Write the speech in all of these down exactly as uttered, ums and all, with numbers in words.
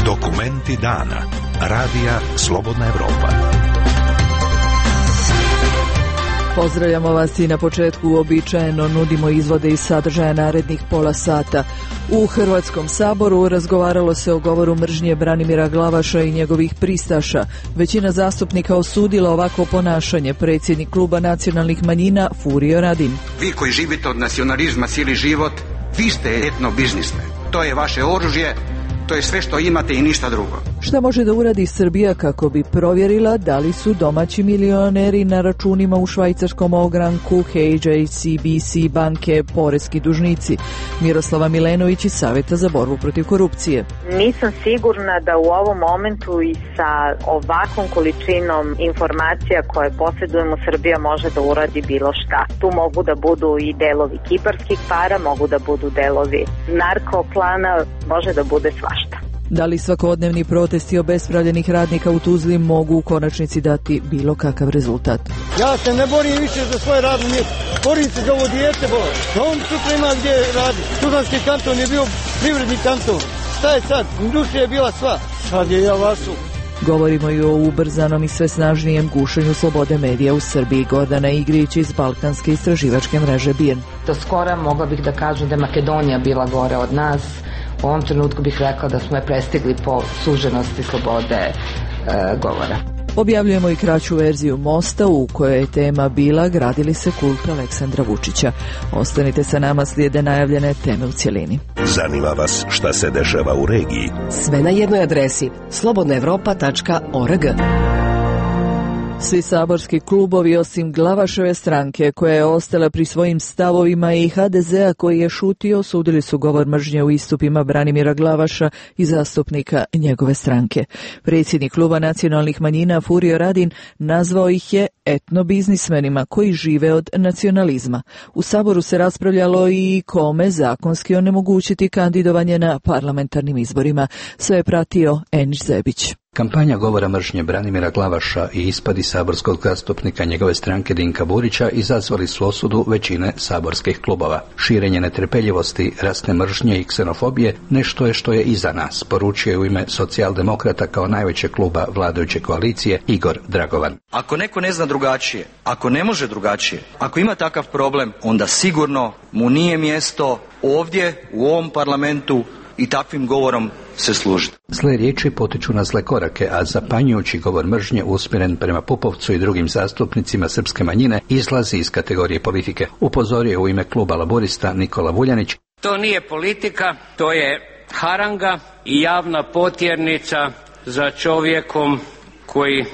Dokumenti dana. Radija Slobodna Evropa. Pozdravljamo vas i na početku uobičajeno nudimo izvode iz sadržaja narednih pola sata. U Hrvatskom saboru razgovaralo se o govoru mržnje Branimira Glavaša i njegovih pristaša. Većina zastupnika osudila ovako ponašanje. Predsjednik kluba nacionalnih manjina Furio Radin. Vi koji živite od nacionalizma cijeli život, vi ste etno biznismen. To je vaše oružje. To je sve što imate i ništa drugo. Šta može da uradi Srbija kako bi provjerila da li su domaći milioneri na računima u švajcarskom ogranku H S B C banke poreski dužnici? Miroslava Milenović iz Saveta za borbu protiv korupcije. Nisam sigurna da u ovom momentu i sa ovakvom količinom informacija koje posjedujemo Srbija može da uradi bilo šta. Tu mogu da budu i delovi kiparskih para, mogu da budu delovi narkoplana, može da bude svašta. Da li svakodnevni protesti obespravljenih radnika u Tuzli mogu u konačnici dati bilo kakav rezultat? Ja se ne borim više za svoje radno mjesto. Borim se za ovo dijete, bola. Da on sutra ima gdje radi. Tuzlanski kanton je bio privredni kanton. Šta je sad? Industrija je bila sva. Sad je javasu. Govorimo i o ubrzanom i sve snažnijem gušenju slobode medija u Srbiji. Gordana Igrić iz Balkanske istraživačke mreže B I R N. Do skora mogla bih da kažem da je Makedonija bila gore od nas. U ovom trenutku bih rekla da smo je prestigli po suženosti slobode e, govora. Objavljujemo i kraću verziju Mosta u kojoj je tema bila gradili se kult Aleksandra Vučića. Ostanite sa nama, slijede najavljene teme u cjelini. Zanima vas šta se dešava u regiji? Sve na jednoj adresi slobodna evropa tačka org. Svi saborski klubovi osim Glavaševe stranke koja je ostala pri svojim stavovima i H D Z-a koji je šutio osudili su govor mržnje u istupima Branimira Glavaša i zastupnika njegove stranke. Predsjednik kluba nacionalnih manjina Furio Radin nazvao ih je etnobiznismenima koji žive od nacionalizma. U saboru se raspravljalo i kome zakonski onemogućiti kandidovanje na parlamentarnim izborima. Sve je pratio Enić Zebić. Kampanja govora mržnje Branimira Glavaša i ispadi saborskog zastupnika njegove stranke Dinka Burića izazvali su osudu većine saborskih klubova. Širenje netrpeljivosti, rasne mržnje i ksenofobije nešto je što je iza nas, poručio je u ime Socijaldemokrata kao najvećeg kluba vladajuće koalicije Igor Dragovan. Ako neko ne zna drugačije, ako ne može drugačije, ako ima takav problem, onda sigurno mu nije mjesto ovdje u ovom parlamentu i takvim govorom se služiti. Zle riječi potiču na zle korake, a zapanjujući govor mržnje usmjeren prema Pupovcu i drugim zastupnicima srpske manjine izlazi iz kategorije politike. Upozorio je u ime kluba Laburista Nikola Vuljanić. To nije politika, to je haranga i javna potjernica za čovjekom koji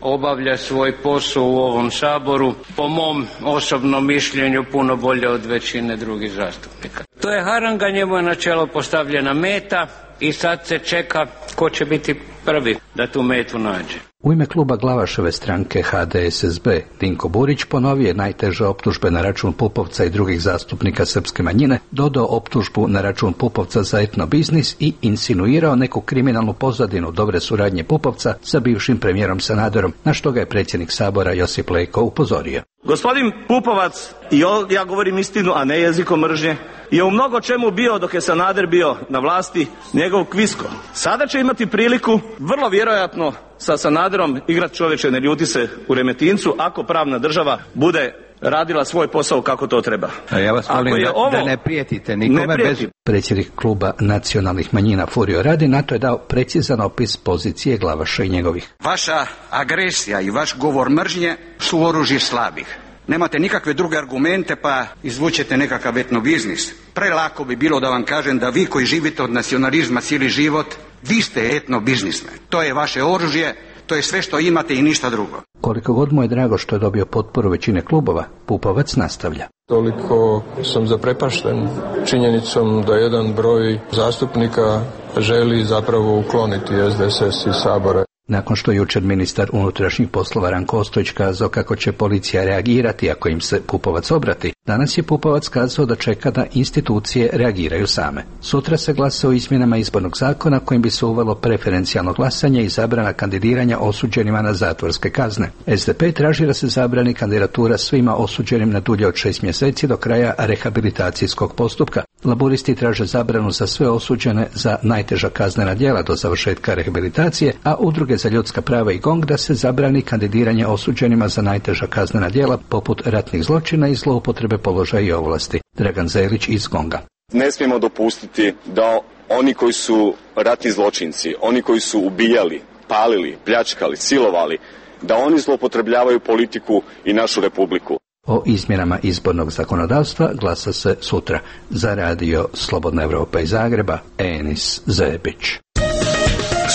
obavlja svoj posao u ovom saboru, po mom osobnom mišljenju puno bolje od većine drugih zastupnika. To je haranga, njemu je na čelo postavljena meta i sad se čeka ko će biti prvi da tu metu nađe. U ime kluba Glavaševe stranke H D S S B Dinko Burić ponovio je najteže optužbe na račun Pupovca i drugih zastupnika srpske manjine, dodao optužbu na račun Pupovca za etnobiznis i insinuirao neku kriminalnu pozadinu dobre suradnje Pupovca sa bivšim premijerom Sanaderom, na što ga je predsjednik Sabora Josip Leko upozorio. Gospodin Pupovac, i ja govorim istinu, a ne jezikom mržnje, je u mnogo čemu bio dok je Sanader bio na vlasti njegov kvisko. Sada će imati priliku, vrlo vjerojatno, sa Sanaderom igrat čovječe, ne ljuti se u Remetincu, ako pravna država bude radila svoj posao kako to treba. A ja vas molim da, ovo, da ne prijetite nikome. Ne prijeti. Bez... Predsjednik kluba nacionalnih manjina Furio Radin na to je dao precizan opis pozicije Glavaša i njegovih. Vaša agresija i vaš govor mržnje su oružje slabih. Nemate nikakve druge argumente pa izvučete nekakav etnobiznis. Prelako bi bilo da vam kažem da vi koji živite od nacionalizma cijeli život, vi ste etnobiznismen. To je vaše oružje, to je sve što imate i ništa drugo. Koliko god mu je drago što je dobio potporu većine klubova, Pupovac nastavlja. Toliko sam zaprepašten činjenicom da jedan broj zastupnika želi zapravo ukloniti S D S S iz Sabora. Nakon što je jučer ministar unutrašnjih poslova Ranko Ostojić kazao kako će policija reagirati ako im se Pupovac obrati, danas je Pupovac kazao da čeka da institucije reagiraju same. Sutra se glasa o izmjenama izbornog zakona kojim bi se uvelo preferencijalno glasanje i zabrana kandidiranja osuđenima na zatvorske kazne. S D P traži da se zabrani kandidatura svima osuđenim na dulje od šest mjeseci do kraja rehabilitacijskog postupka. Laburisti traže zabranu za sve osuđene za najteža kaznena djela do završetka rehabilitacije, a udruge za ljudska prava i GONG da se zabrani kandidiranje osuđenima za najteža kaznena djela poput ratnih zločina i zloupotrebe položaja i ovlasti. Dragan Zelić iz GONG-a. Ne smijemo dopustiti da oni koji su ratni zločinci, oni koji su ubijali, palili, pljačkali, silovali, da oni zloupotrebljavaju politiku i našu republiku. O izmjenama izbornog zakonodavstva glasa se sutra. Za radio Slobodna Evropa iz Zagreba, Enis Zebić.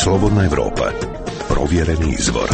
Slobodna Evropa. Provjereni izvor.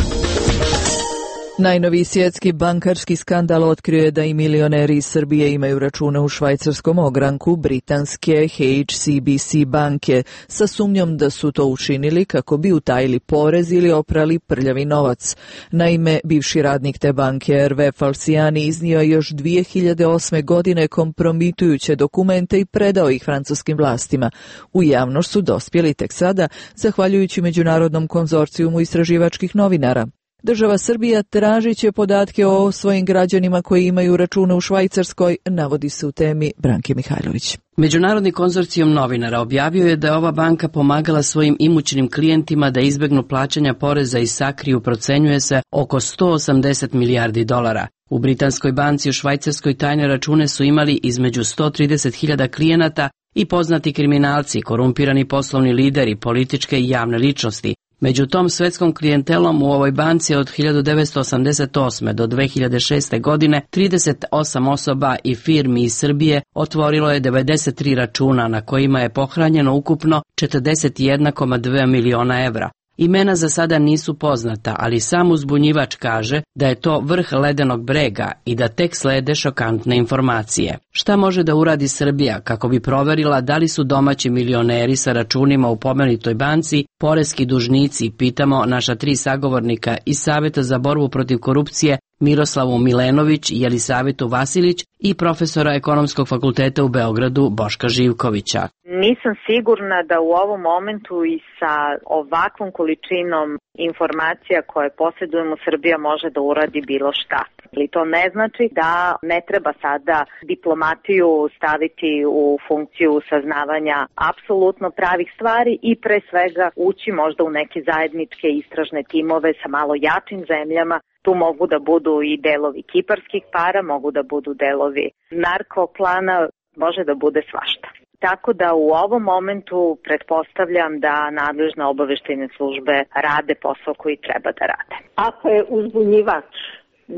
Najnoviji svjetski bankarski skandal otkrio je da i milioneri iz Srbije imaju račune u švajcarskom ogranku britanske H S B C banke sa sumnjom da su to učinili kako bi utajili porez ili oprali prljavi novac. Naime, bivši radnik te banke Hervé Falciani iznio je još dvije hiljade osme. godine kompromitujuće dokumente i predao ih francuskim vlastima. U javnost su dospjeli tek sada, zahvaljujući Međunarodnom konzorcijumu istraživačkih novinara. Država Srbija tražit će podatke o svojim građanima koji imaju račune u Švajcarskoj, navodi se u temi Branke Mihajlović. Međunarodni konzorcijum novinara objavio je da je ova banka pomagala svojim imućnim klijentima da izbegnu plaćanja poreza i sakriju, procenjuje se, oko sto osamdeset milijardi dolara. U britanskoj banci u Švajcarskoj tajne račune su imali između sto trideset hiljada klijenata i poznati kriminalci, korumpirani poslovni lideri, političke i javne ličnosti. Među tom svetskom klijentelom u ovoj banci od hiljadu devetsto osamdeset osme. do dve hiljade šeste. godine trideset osam osoba i firmi iz Srbije otvorilo je devedeset tri računa na kojima je pohranjeno ukupno četrdeset jedan zarez dva miliona evra. Imena za sada nisu poznata, ali sam uzbunjivač kaže da je to vrh ledenog brega i da tek slede šokantne informacije. Šta može da uradi Srbija kako bi proverila da li su domaći milioneri sa računima u pomenutoj banci poreski dužnici, pitamo naša tri sagovornika iz Saveta za borbu protiv korupcije Miroslavu Milenović, Jelisavetu Vasilić i profesora Ekonomskog fakulteta u Beogradu Boška Živkovića. Nisam sigurna da u ovom momentu i sa ovakvom količinom informacija koje posjedujemo Srbija može da uradi bilo šta. Ali to ne znači da ne treba sada diplomatiju staviti u funkciju saznavanja apsolutno pravih stvari i pre svega ući možda u neke zajedničke istražne timove sa malo jačim zemljama. Tu mogu da budu i delovi kiparskih para, mogu da budu delovi narkoklana, može da bude svašta. Tako da u ovom momentu pretpostavljam da nadležne obaveštajne službe rade posao koji treba da rade. Ako je uzbunjivač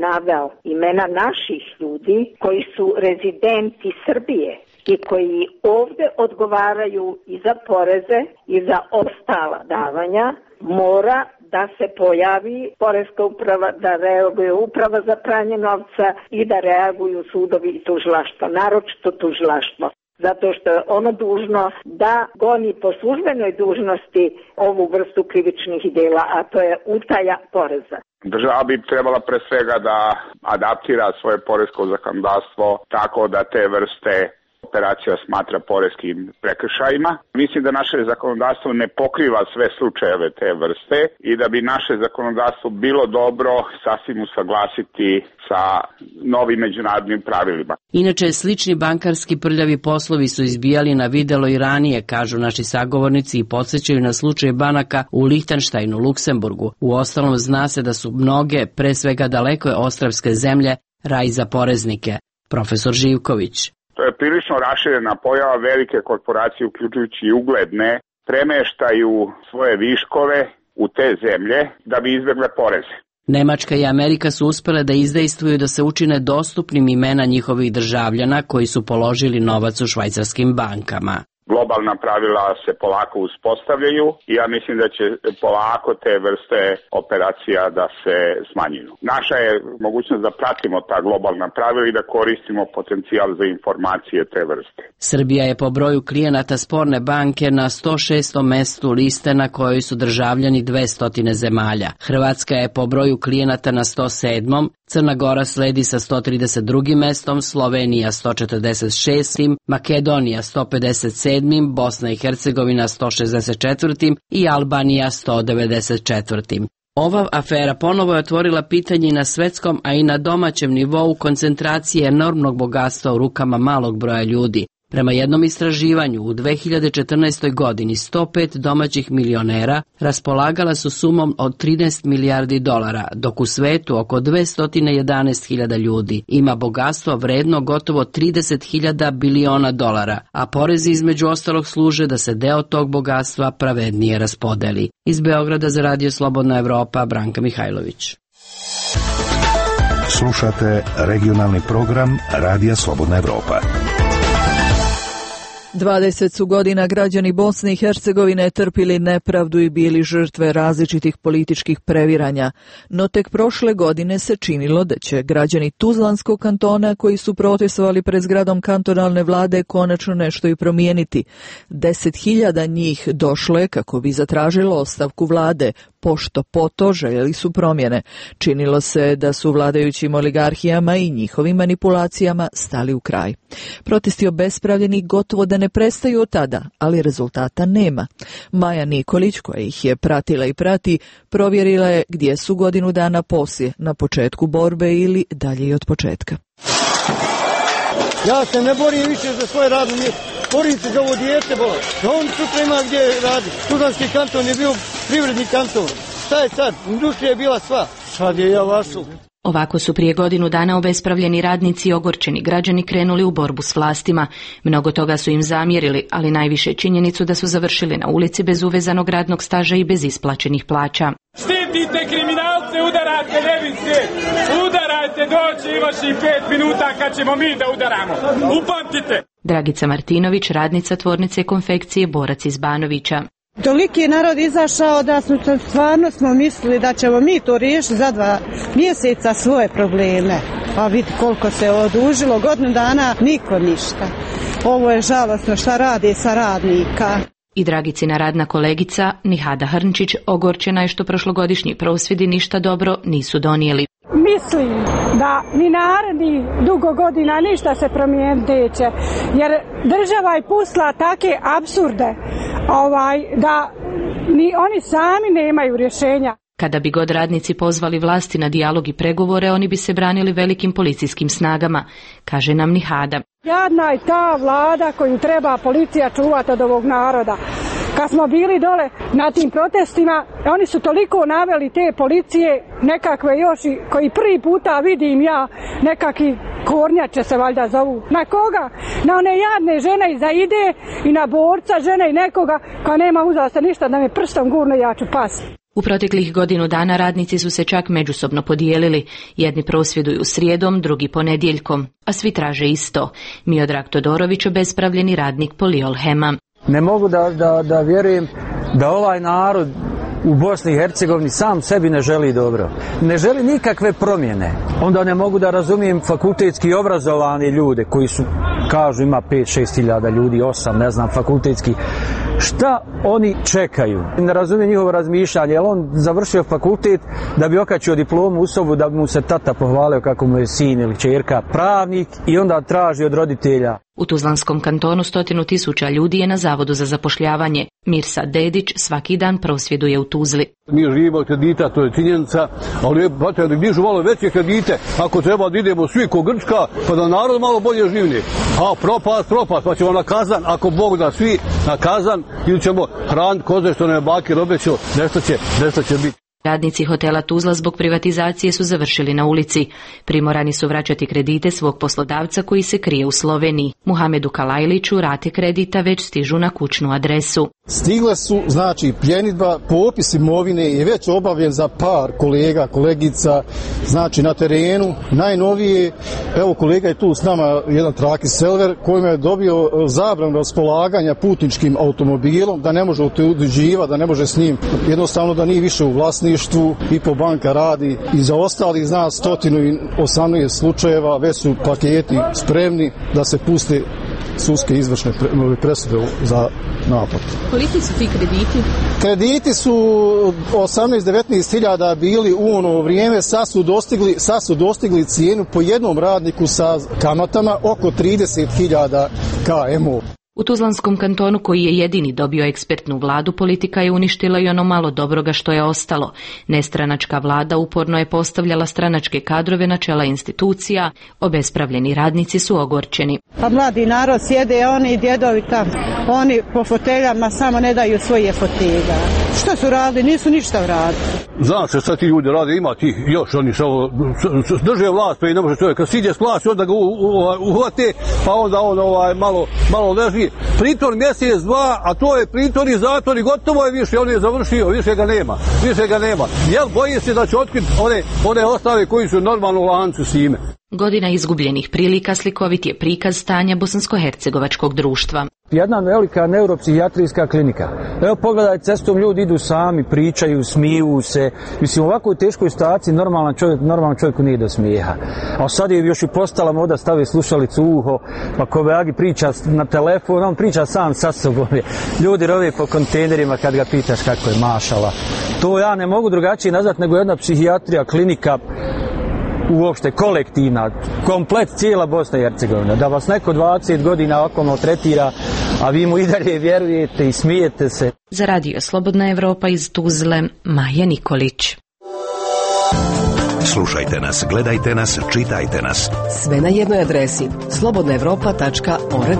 naveo imena naših ljudi koji su rezidenti Srbije i koji ovde odgovaraju i za poreze i za ostala davanja, mora da se pojavi poreska uprava, da reaguje uprava za pranje novca i da reaguju sudovi i tužilaštva, naročito tužilaštvo. Zato što je ono dužno da goni po službenoj dužnosti ovu vrstu krivičnih dela, a to je utaja poreza. Država bi trebala pre svega da adaptira svoje poresko zakonodavstvo tako da te vrste operacija smatra poreskim prekršajima. Mislim da naše zakonodavstvo ne pokriva sve slučajeve te vrste i da bi naše zakonodavstvo bilo dobro sasvim usaglasiti sa novim međunarodnim pravilima. Inače, slični bankarski prljavi poslovi su izbijali na videlo i ranije, kažu naši sagovornici i podsjećaju na slučaj banaka u Lihtenštajnu, Luksemburgu. U ostalom zna se da su mnoge, pre svega daleko ostrvske zemlje, raj za poreznike. Profesor Živković. To je prilično raširena pojava, velike korporacije, uključujući i ugledne, premeštaju svoje viškove u te zemlje da bi izbjegle poreze. Nemačka i Amerika su uspjele da izdejstvuju da se učine dostupnim imena njihovih državljana koji su položili novac u švajcarskim bankama. Globalna pravila se polako uspostavljaju i ja mislim da će polako te vrste operacija da se smanjuju. Naša je mogućnost da pratimo ta globalna pravila i da koristimo potencijal za informacije te vrste. Srbija je po broju klijenata sporne banke na sto šestom mestu liste na kojoj su državljani dvesta zemalja. Hrvatska je po broju klijenata na sto sedmom, Crna Gora sledi sa sto trideset drugim mestom, Slovenija sto četrdeset šestim, Makedonija sto pedeset sedmim, Bosna i Hercegovina sto šezdeset četvrtim i Albanija sto devedeset četvrtim. Ova afera ponovo je otvorila pitanje na svetskom, a i na domaćem nivou koncentracije enormnog bogatstva u rukama malog broja ljudi. Prema jednom istraživanju, u dve hiljade četrnaestoj. godini sto pet domaćih milionera raspolagala su sumom od trinaest milijardi dolara, dok u svetu oko dvesta jedanaest hiljada ljudi ima bogatstvo vredno gotovo trideset hiljada biliona dolara, a porezi između ostalog služe da se deo tog bogatstva pravednije raspodeli. Iz Beograda za Radio Slobodna Evropa, Branka Mihajlović. Slušate regionalni program Radija Slobodna Evropa. dvadeset su godina građani Bosne i Hercegovine trpili nepravdu i bili žrtve različitih političkih previranja, no tek prošle godine se činilo da će građani Tuzlanskog kantona koji su protestovali pred zgradom kantonalne vlade konačno nešto i promijeniti. Deset hiljada njih došlo je kako bi zatražilo ostavku vlade, pošto poto željeli su promjene. Činilo se da su vladajućim oligarhijama i njihovim manipulacijama stali u kraj. Protesti obespravljeni gotovo da ne prestaju od tada, ali rezultata nema. Maja Nikolić, koja ih je pratila i prati, provjerila je gdje su godinu dana poslije, na početku borbe ili dalje i od početka. Ja se ne borim više za svoje radno mjesto. Borim se za ovo dijete, bola. Da on sutra ima gdje radi. Tuzlanski kanton je bio privredni kanton. Šta je sad? Industrija je bila sva. Sad je ja vašu. Ovako su prije godinu dana obespravljeni radnici i ogorčeni građani krenuli u borbu s vlastima. Mnogo toga su im zamjerili, ali najviše činjenicu da su završili na ulici bez uvezanog radnog staža i bez isplaćenih plaća. Štitite kriminalce, udarate nevinske, udarajte, doći imaš i pet minuta kad ćemo mi da udaramo. Upamtite! Dragica Martinović, radnica tvornice konfekcije Borac iz Banovića. Toliki narod izašao da smo stvarno smo mislili da ćemo mi to riješiti za dva mjeseca svoje probleme. Pa vidi koliko se odužilo, godinu dana niko ništa. Ovo je žalosno šta radi sa radnika. I Dragicina radna kolegica Nihada Hrnčić ogorčena je što prošlogodišnji prosvjedi ništa dobro nisu donijeli. Mislim da ni naredni dugo godina ništa se promijeniti neće, jer država je pustila take apsurde ovaj, da ni oni sami nemaju rješenja. Kada bi god radnici pozvali vlasti na dijalog i pregovore, oni bi se branili velikim policijskim snagama, kaže nam Nihada. Jadna je ta vlada koju treba policija čuvati od ovog naroda. Kad smo bili dole na tim protestima, oni su toliko naveli te policije, nekakve još i koji prvi puta vidim ja, nekakvi kornjače se valjda zovu. Na koga? Na one jadne žene iza ide i na borca žene i nekoga koja nema uzasta ništa da me prstom gurno ja ću pasti. U proteklih godinu dana radnici su se čak međusobno podijelili. Jedni prosvjeduju srijedom, drugi ponedjeljkom, a svi traže isto. Miodrag Todorović, obespravljeni radnik Poliolhema. Ne mogu da, da, da vjerujem da ovaj narod u Bosni i Hercegovini sam sebi ne želi dobro. Ne želi nikakve promjene. Onda ne mogu da razumijem fakultetski obrazovani ljude koji su, kažu ima pet šest hiljada ljudi, osam, ne znam, fakultetski. Šta oni čekaju? Ne razumijem njihovo razmišljanje, jer on završio fakultet da bi okačio diplomu u sobu, da bi mu se tata pohvalio kako mu je sin ili čerka pravnik i onda traži od roditelja. U Tuzlanskom kantonu stotinu tisuća ljudi je na Zavodu za zapošljavanje. Mirsa Dedić svaki dan prosvjeduje u Tuzli. Mi živimo od kredita, to je činjenica, ali brate, da dižu malo veće kredite, ako treba da idemo svi ko Grčka, pa da narod malo bolje živni. A propast, propast, pa ćemo na kazan, ako Bog da svi na kazan, ili ćemo hraniti koze što ne baki robeću, nešto će, nešto će biti. Radnici hotela Tuzla zbog privatizacije su završili na ulici. Primorani su vraćati kredite svog poslodavca koji se krije u Sloveniji. Muhamedu Kalajliću rate kredita već stižu na kućnu adresu. Stigle su, znači, pljenidba, popis imovine je već obavljen za par kolega, kolegica, znači na terenu. Najnovije, evo kolega je tu s nama, jedan Traki Selver, kojima je dobio zabranu raspolaganja putničkim automobilom, da ne može otuđivati, da ne može s njim, jednostavno da nije više u vlasništvu. Ipo banka radi i za ostali, zna, sto osamnaest slučajeva, već su paketi spremni da se puste sudske izvršne presude za naplatu. Koliki su ti krediti? Krediti su osamnaest do devetnaest hiljada bili u ono vrijeme, sad su dostigli, sad su dostigli cijenu po jednom radniku sa kamatama oko trideset hiljada K M O. U Tuzlanskom kantonu, koji je jedini dobio ekspertnu vladu, politika je uništila i ono malo dobroga što je ostalo. Nestranačka vlada uporno je postavljala stranačke kadrove na čela institucija, obespravljeni radnici su ogorčeni. Pa mladi narod sjede, oni djedovi tamo, oni po foteljama samo ne daju svoje fotelja. Što su radili? Nisu ništa uradili. Znaš što sad ti ljudi rade, ima ti još, oni samo drže vlast, pa i ne može čovjek, kad siđe s vlasti, onda ga uhvate, pa onda on ovaj, malo, malo leži. Pritvor mjesec, dva, a to je pritvor i zatvor i gotovo je više, on je završio, više ga nema, više ga nema. Jel boji se da će otkriti one, one ostave koji su normalno u lancu s ime? Godina izgubljenih prilika slikovit je prikaz stanja bosansko-hercegovačkog društva. Jedna velika neuropsihijatrijska klinika. Evo pogledaj, cestom ljudi idu sami, pričaju, smiju se. Mislim, u ovakvoj teškoj situaciji normalan čovjek, normalan čovjeku nije do smijeha. A sad je još i postala moda, stavi slušalicu u uho, pa Koveagi priča na telefon, on priča sam sa sobom. Ljudi rove po kontejnerima kad ga pitaš kako je, mašala. To ja ne mogu drugačije nazvati nego jedna psihijatrija, klinika, uopšte kolektivna, komplet cijela Bosna i Hercegovina, da vas neko dvadeset godina ovako tretira, a vi mu i dalje vjerujete i smijete se. Za Radio Slobodna Evropa iz Tuzle, Maja Nikolić. Slušajte nas, gledajte nas, čitajte nas. Sve na jednoj adresi slobodna evropa tačka org.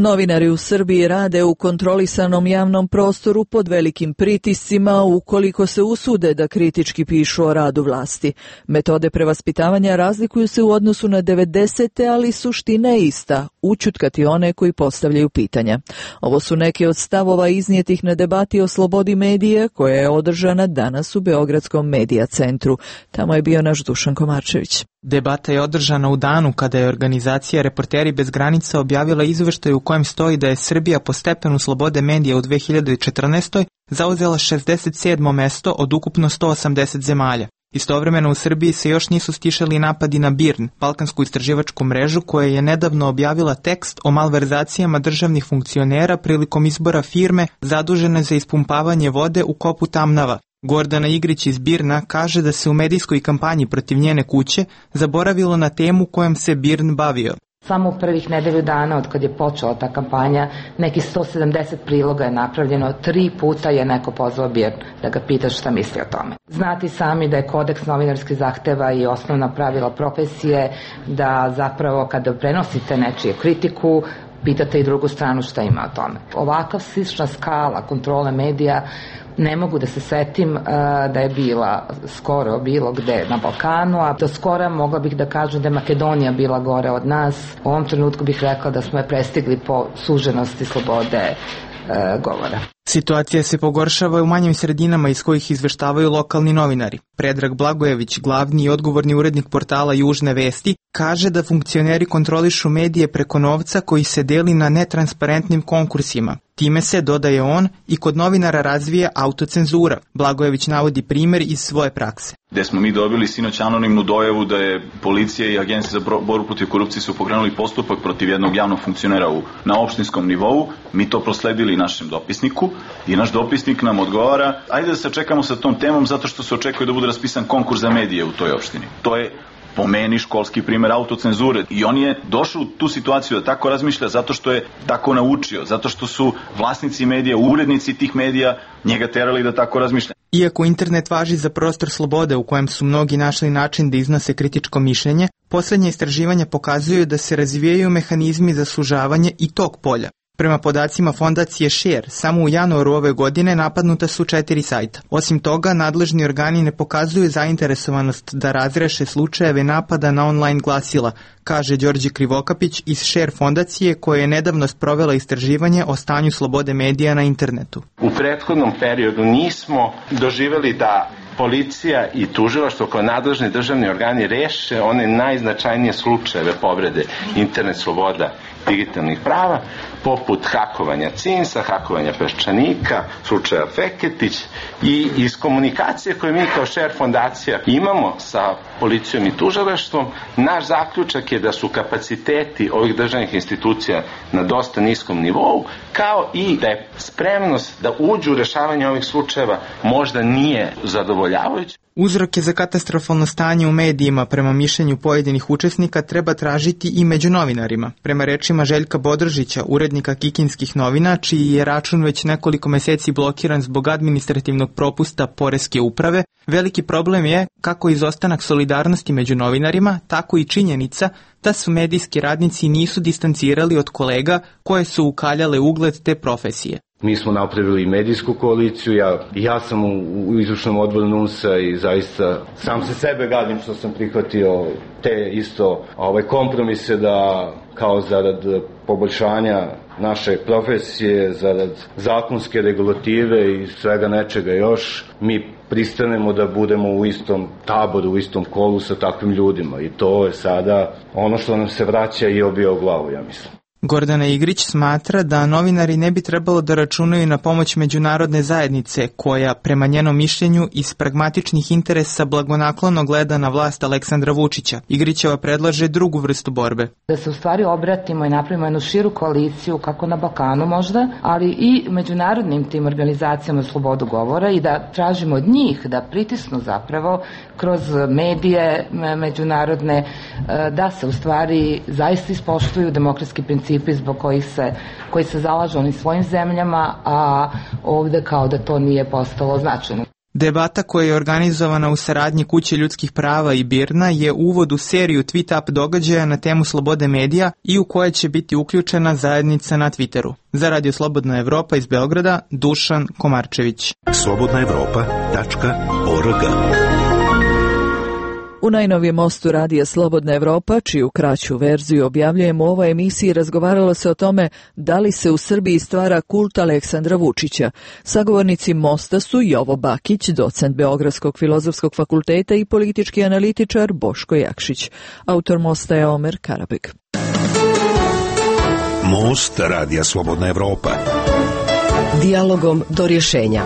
Novinari u Srbiji rade u kontrolisanom javnom prostoru pod velikim pritiscima ukoliko se usude da kritički pišu o radu vlasti. Metode prevaspitavanja razlikuju se u odnosu na devedesete, ali suština je ista, ućutkati one koji postavljaju pitanja. Ovo su neki od stavova iznijetih na debati o slobodi medija koja je održana danas u Beogradskom medija centru. Tamo je bio naš Dušan Komarčević. Debata je održana u danu kada je organizacija Reporteri bez granica objavila izveštaj u kojem stoji da je Srbija po stepenu slobode medija u dve hiljade četrnaestoj. zauzela šezdeset sedmo mesto od ukupno sto osamdeset zemalja. Istovremeno u Srbiji se još nisu stišali napadi na BIRN, balkansku istraživačku mrežu koja je nedavno objavila tekst o malverzacijama državnih funkcionera prilikom izbora firme zadužene za ispumpavanje vode u kopu Tamnava. Gordana Igrić iz BIRN-a kaže da se u medijskoj kampanji protiv njene kuće zaboravilo na temu kojom se BIRN bavio. Samo u prvih nedelju dana od kad je počela ta kampanja, neki sto sedamdeset priloga je napravljeno, tri puta je neko pozvao BIRN da ga pita šta misli o tome. Znati sami da je kodeks novinarskih zahteva i osnovna pravila profesije da zapravo kada prenosite nečije kritiku, pitate i drugu stranu šta ima o tome. Ovakav slična skala kontrole medija ne mogu da se setim uh, da je bila skoro bilo gde na Balkanu, a do skora mogla bih da kažem da je Makedonija bila gore od nas. U ovom trenutku bih rekla da smo je prestigli po suženosti slobode uh, govora. Situacija se pogoršava u manjim sredinama iz kojih izveštavaju lokalni novinari. Predrag Blagojević, glavni i odgovorni urednik portala Južne vesti, kaže da funkcioneri kontrolišu medije preko novca koji se deli na netransparentnim konkursima. Time se, dodaje on, i kod novinara razvija autocenzura. Blagojević navodi primjer iz svoje prakse. Gde smo mi dobili sinoć anonimnu dojavu da je policija i agencija za borbu protiv korupcije su pokrenuli postupak protiv jednog javnog funkcionera u, na opštinskom nivou. Mi to prosledili našem dopisniku i naš dopisnik nam odgovara: ajde da se čekamo sa tom temom zato što se očekuje da bude raspisan konkurs za medije u toj opštini. To je po meni školski primjer autocenzure i on je došao u tu situaciju da tako razmišlja zato što je tako naučio, zato što su vlasnici medija, urednici tih medija njega terali da tako razmišlja. Iako internet važi za prostor slobode u kojem su mnogi našli način da iznose kritičko mišljenje, posljednje istraživanja pokazuju da se razvijaju mehanizmi za sužavanje i tog polja. Prema podacima fondacije Share, samo u januaru ove godine napadnuta su četiri sajta. Osim toga, nadležni organi ne pokazuju zainteresovanost da razreše slučajeve napada na online glasila, kaže Đorđe Krivokapić iz Share fondacije koja je nedavno sprovela istraživanje o stanju slobode medija na internetu. U prethodnom periodu nismo doživjeli da policija i tužilaštvo kao nadležni državni organi reše one najznačajnije slučajeve povrede internet sloboda digitalnih prava, poput hakovanja cinsa, hakovanja Peščanika, slučaja Feketić, i iz komunikacije koje mi kao Share fondacija imamo sa policijom i tužilaštvom, naš zaključak je da su kapaciteti ovih državnih institucija na dosta niskom nivou, kao i da je spremnost da uđu u rešavanje ovih slučajeva možda nije zadovoljavajuća. Uzroke za katastrofalno stanje u medijima prema mišljenju pojedinih učesnika treba tražiti i među novinarima. Prema rečima Željka Bodrožića, urednika Kikinskih novina, čiji je račun već nekoliko meseci blokiran zbog administrativnog propusta Poreske uprave, veliki problem je kako izostanak solidarnosti među novinarima, tako i činjenica da su medijski radnici nisu distancirali od kolega koje su ukaljale ugled te profesije. Mi smo napravili medijsku koaliciju, ja, ja sam u, u izvršnom odboru N U N S-a i zaista sam se sebe gadim što sam prihvatio te isto ove kompromise da kao zarad poboljšanja naše profesije, zarad zakonske regulative i svega nečega još, mi pristanemo da budemo u istom taboru, u istom kolu sa takvim ljudima i to je sada ono što nam se vraća i obija u glavu, ja mislim. Gordana Igrić smatra da novinari ne bi trebalo da računaju na pomoć međunarodne zajednice koja, prema njenom mišljenju, iz pragmatičnih interesa blagonaklono gleda na vlast Aleksandra Vučića. Igrićeva predlaže drugu vrstu borbe. Da se u stvari obratimo i napravimo jednu širu koaliciju, kako na Balkanu možda, ali i međunarodnim tim organizacijama slobodu govora i da tražimo od njih da pritisnu zapravo kroz medije međunarodne, da se u stvari zaista ispoštuju demokratski principi zbog kojih se, koji se zalažu onim svojim zemljama, a ovde kao da to nije postalo značajno. Debata koja je organizovana u saradnji Kuće ljudskih prava i Birna je uvod u seriju tweet-up događaja na temu slobode medija i u koje će biti uključena zajednica na Twitteru. Za Radio Slobodna Evropa iz Beograda, Dušan Komarčević. slobodna evropa tačka org. U najnovijem mostu radija Slobodna Evropa, čiju kraću verziju objavljujemo u ovoj emisiji, razgovaralo se o tome da li se u Srbiji stvara kult Aleksandra Vučića. Sagovornici mosta su Jovo Bakić, docent Beogradskog filozofskog fakulteta i politički analitičar Boško Jakšić. Autor mosta je Omer Karabek. Most radija Slobodna Evropa. Dijalogom do rješenja.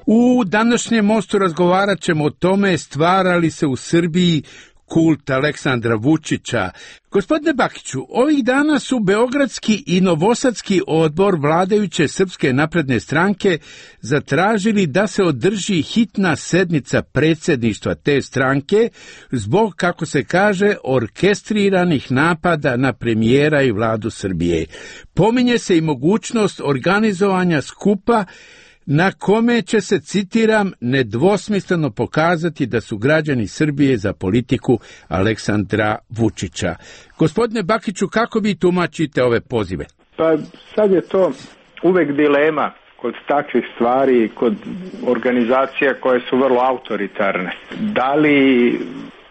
U današnjem mostu razgovarat ćemo o tome stvara li se u Srbiji kult Aleksandra Vučića. Gospodine Bakiću, ovih dana su Beogradski i Novosadski odbor vladajuće Srpske napredne stranke zatražili da se održi hitna sednica predsjedništva te stranke zbog, kako se kaže, orkestriranih napada na premijera i vladu Srbije. Pominje se i mogućnost organizovanja skupa na kome će se, citiram, nedvosmisleno pokazati da su građani Srbije za politiku Aleksandra Vučića. Gospodine Bakiću, kako vi tumačite ove pozive? Pa sad je to uvek dilema kod takvih stvari, kod organizacija koje su vrlo autoritarne. Da li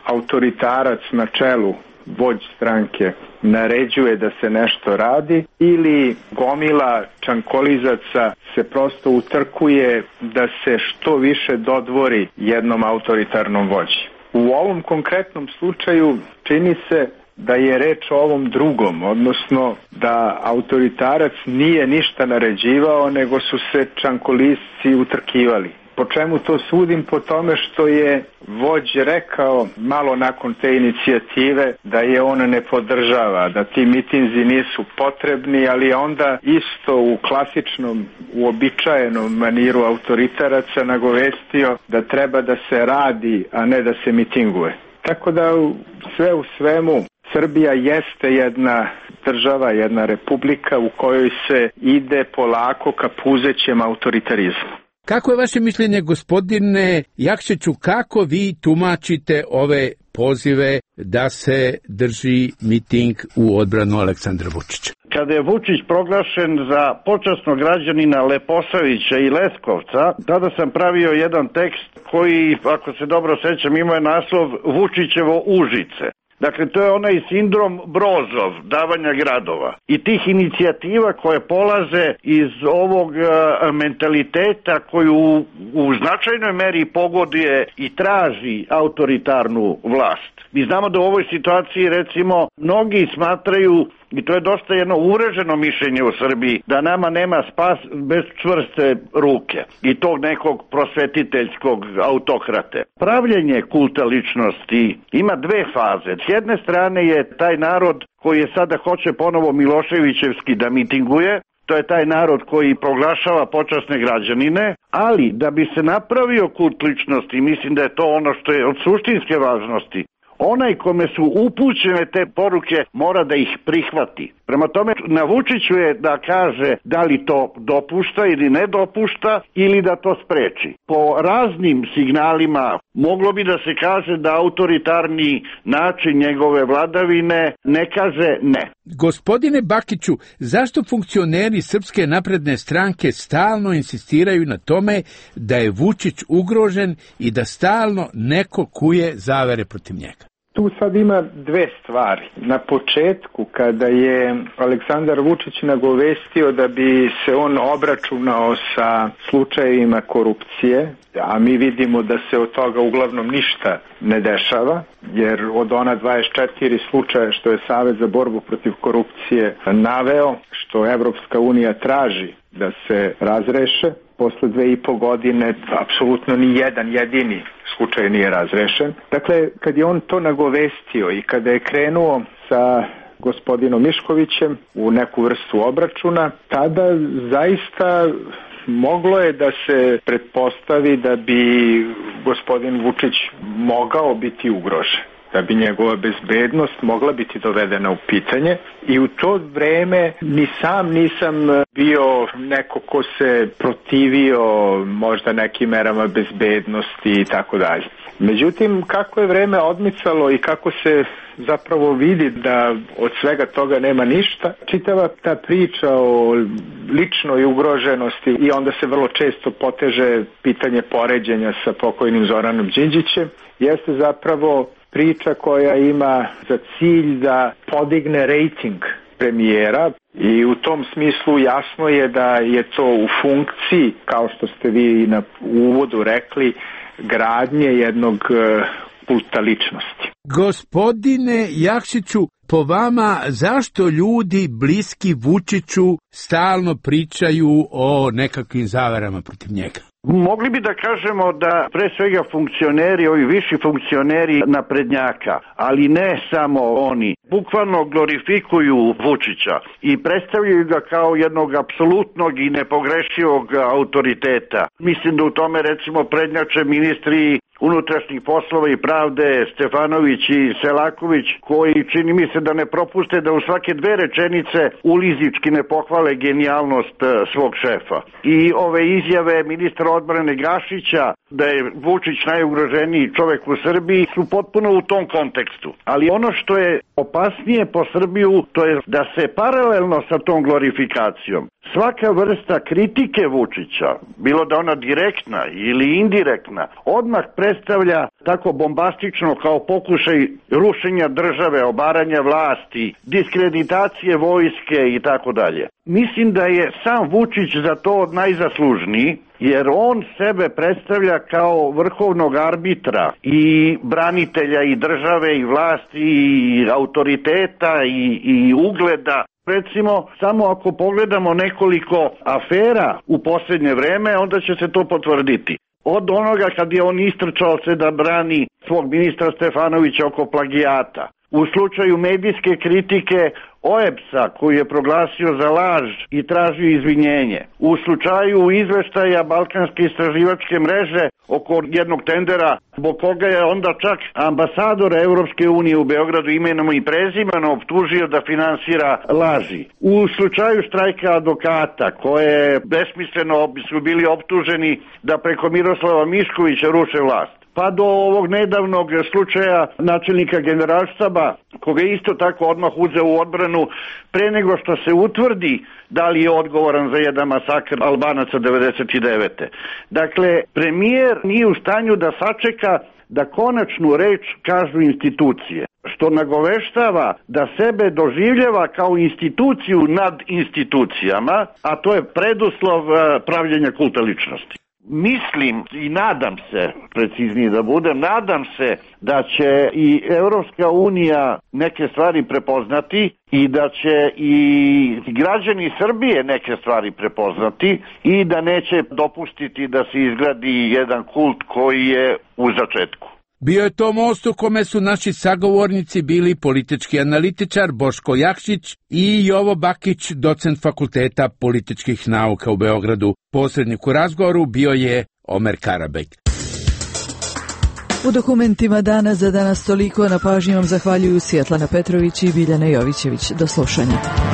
autoritarac na čelu, vođ stranke, naređuje da se nešto radi ili gomila čankolizaca se prosto utrkuje da se što više dodvori jednom autoritarnom vođi. U ovom konkretnom slučaju čini se da je reč o ovom drugom, odnosno da autoritarac nije ništa naređivao, nego su se čankolisci utrkivali. Po čemu to sudim? Po tome što je vođ rekao malo nakon te inicijative da je on ne podržava, da ti mitinzi nisu potrebni, ali je onda isto u klasičnom, uobičajenom maniru autoritaraca nagovestio da treba da se radi, a ne da se mitinguje. Tako da sve u svemu Srbija jeste jedna država, jedna republika u kojoj se ide polako ka puzećem autoritarizmu. Kako je vaše mišljenje, gospodine Jakšiću, kako vi tumačite ove pozive da se drži miting u odbranu Aleksandra Vučića? Kada je Vučić proglašen za počasnog građanina Leposavića i Leskovca, tada sam pravio jedan tekst koji, ako se dobro sećam, ima naslov Vučićevo Užice. Dakle, to je onaj sindrom Brozov, davanja gradova. I tih inicijativa koje polaze iz ovog uh, mentaliteta koju u, u značajnoj meri pogoduje i traži autoritarnu vlast. Mi znamo da u ovoj situaciji, recimo, mnogi smatraju, i to je dosta jedno uvreženo mišljenje u Srbiji, da nama nema spas bez čvrste ruke i tog nekog prosvetiteljskog autokrate. Pravljenje kulta ličnosti ima dve faze. S jedne strane je taj narod koji je sada hoće ponovo Miloševićevski da mitinguje, to je taj narod koji proglašava počasne građanine, ali da bi se napravio kult ličnosti, mislim da je to ono što je od suštinske važnosti, onaj kome su upućene te poruke mora da ih prihvati. Prema tome, na Vučiću je da kaže da li to dopušta ili ne dopušta ili da to spreči. Po raznim signalima moglo bi da se kaže da autoritarni način njegove vladavine ne kaže ne. Gospodine Bakiću, zašto funkcioneri Srpske napredne stranke stalno insistiraju na tome da je Vučić ugrožen i da stalno neko kuje zavere protiv njega? Tu sad ima dve stvari. Na početku, kada je Aleksandar Vučić nagovestio da bi se on obračunao sa slučajevima korupcije, a mi vidimo da se od toga uglavnom ništa ne dešava, jer od ona dvadeset četiri slučaja što je Savez za borbu protiv korupcije naveo, što Evropska unija traži da se razreše, posle dve i po godine apsolutno ni jedan jedini slučaj nije razrešen. Dakle, kad je on to nagovestio i kada je krenuo sa gospodinom Miškovićem u neku vrstu obračuna, tada zaista moglo je da se pretpostavi da bi gospodin Vučić mogao biti ugrožen, da bi njegova bezbednost mogla biti dovedena u pitanje, i u to vreme ni sam nisam bio neko ko se protivio možda nekim merama bezbednosti i tako dalje. Međutim, kako je vreme odmicalo i kako se zapravo vidi da od svega toga nema ništa, čitava ta priča o ličnoj ugroženosti i onda se vrlo često poteže pitanje poređenja sa pokojnim Zoranom Đinđićem, jeste zapravo priča koja ima za cilj da podigne rejting premijera, i u tom smislu jasno je da je to u funkciji, kao što ste vi na uvodu rekli, gradnje jednog kulta ličnosti. Gospodine Jakšiću, po vama zašto ljudi bliski Vučiću stalno pričaju o nekakvim zaverama protiv njega? Mogli bi da kažemo da pre svega funkcioneri, ovi viši funkcioneri naprednjaka, ali ne samo oni, bukvalno glorifikuju Vučića i predstavljaju ga kao jednog apsolutnog i nepogrešivog autoriteta. Mislim da u tome recimo prednjače ministri unutrašnjih poslova i pravde Stefanović i Selaković, koji čini mi se da ne propuste da u svake dve rečenice ulizički ne pohvale genijalnost svog šefa. I ove izjave ministra odbrane Gašića da je Vučić najugroženiji čovek u Srbiji su potpuno u tom kontekstu. Ali ono što je opasnije po Srbiju, to je da se paralelno sa tom glorifikacijom svaka vrsta kritike Vučića, bilo da ona direktna ili indirektna, odmah predstavlja tako bombastično kao pokušaj rušenja države, obaranja vlasti, diskreditacije vojske i tako dalje. Mislim da je sam Vučić za to najzaslužniji, jer on sebe predstavlja kao vrhovnog arbitra i branitelja i države i vlasti i autoriteta i, i ugleda. Recimo, samo ako pogledamo nekoliko afera u posljednje vreme, onda će se to potvrditi. Od onoga kad je on istrčao se da brani svog ministra Stefanovića oko plagijata. U slučaju medijske kritike O E B S-a koji je proglasio za laž i tražio izvinjenje. U slučaju izveštaja Balkanske istraživačke mreže oko jednog tendera, zbog koga je onda čak ambasador Evropske unije u Beogradu imenom i prezimenom optužio da finansira laži. U slučaju štrajka advokata, koje besmisleno su bili optuženi da preko Miroslava Miškovića ruše vlast, pa do ovog nedavnog slučaja načelnika generalštaba, koga je isto tako odmah uzeo u odbranu pre nego što se utvrdi da li je odgovoran za jedan masakr Albanaca devedeset devete. Dakle, premijer nije u stanju da sačeka da konačnu reč kažu institucije, što nagoveštava da sebe doživljava kao instituciju nad institucijama, a to je preduslov pravljenja kulta ličnosti. Mislim i nadam se, preciznije da budem, nadam se da će i Evropska unija neke stvari prepoznati i da će i građani Srbije neke stvari prepoznati i da neće dopustiti da se izgradi jedan kult koji je u začetku. Bio je to most u kome su naši sagovornici bili politički analitičar Boško Jakšić i Jovo Bakić, docent Fakulteta političkih nauka u Beogradu. Posrednik u razgovoru bio je Omer Karabek. U dokumentima dana za danas toliko. Na pažnji vam zahvaljuju Svjetlana Petrović i Biljana Jovićević. Do slušanja.